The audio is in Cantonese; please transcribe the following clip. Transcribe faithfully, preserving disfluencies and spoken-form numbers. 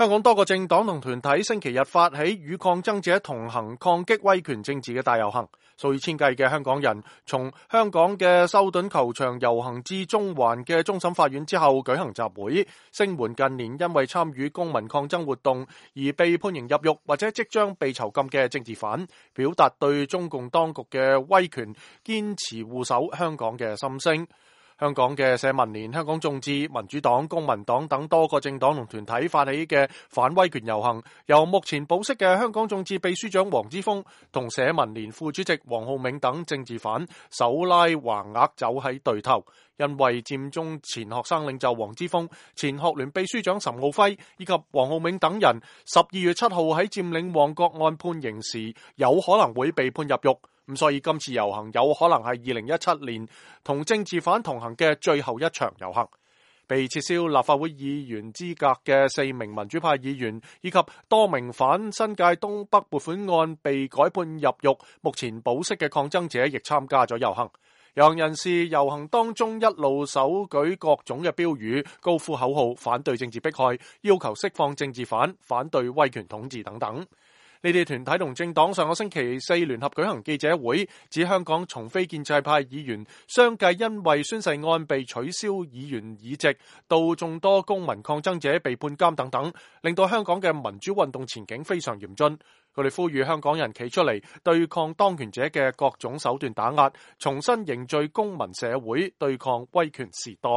香港多個政黨同團體星期日發起與抗爭者同行抗擊威權政治嘅大遊行，數以千計嘅香港人從香港嘅修頓球場遊行至中環嘅終審法院之後舉行集會，聲援近年因為參與公民抗爭活動而被判刑入獄或者即將被囚禁嘅政治犯，表達對中共當局嘅威權堅持護守香港嘅心聲。香港嘅社民連、香港眾志、民主黨、公民黨等多個政黨同團體發起嘅反威權遊行，由目前保釋嘅香港眾志秘書長黃之鋒同社民連副主席黃浩銘等政治犯手拉橫額走喺對頭，因為佔中前學生領袖黃之鋒、前學聯秘書長岑敖暉以及黃浩銘等人十二月七號喺佔領旺角案判刑時有可能會被判入獄。咁所以今次遊行有可能係二零一七年同政治犯同行嘅最後一場遊行。被撤銷立法會議員資格嘅四名民主派議員以及多名反新界東北撥款案被改判入獄，目前保釋嘅抗爭者亦參加咗遊行。遊行人士遊行當中一路手舉各種嘅標語，高呼口號，反對政治迫害，要求釋放政治犯，反對威權統治等等。呢啲團體同政黨上個星期四聯合舉行記者會，指香港從非建制派議員相繼因為宣誓案被取消議員議席，到眾多公民抗爭者被判監等等，令到香港嘅民主運動前景非常嚴峻。佢哋呼籲香港人企出嚟對抗當權者嘅各種手段打壓，重新凝聚公民社會，對抗威權時代。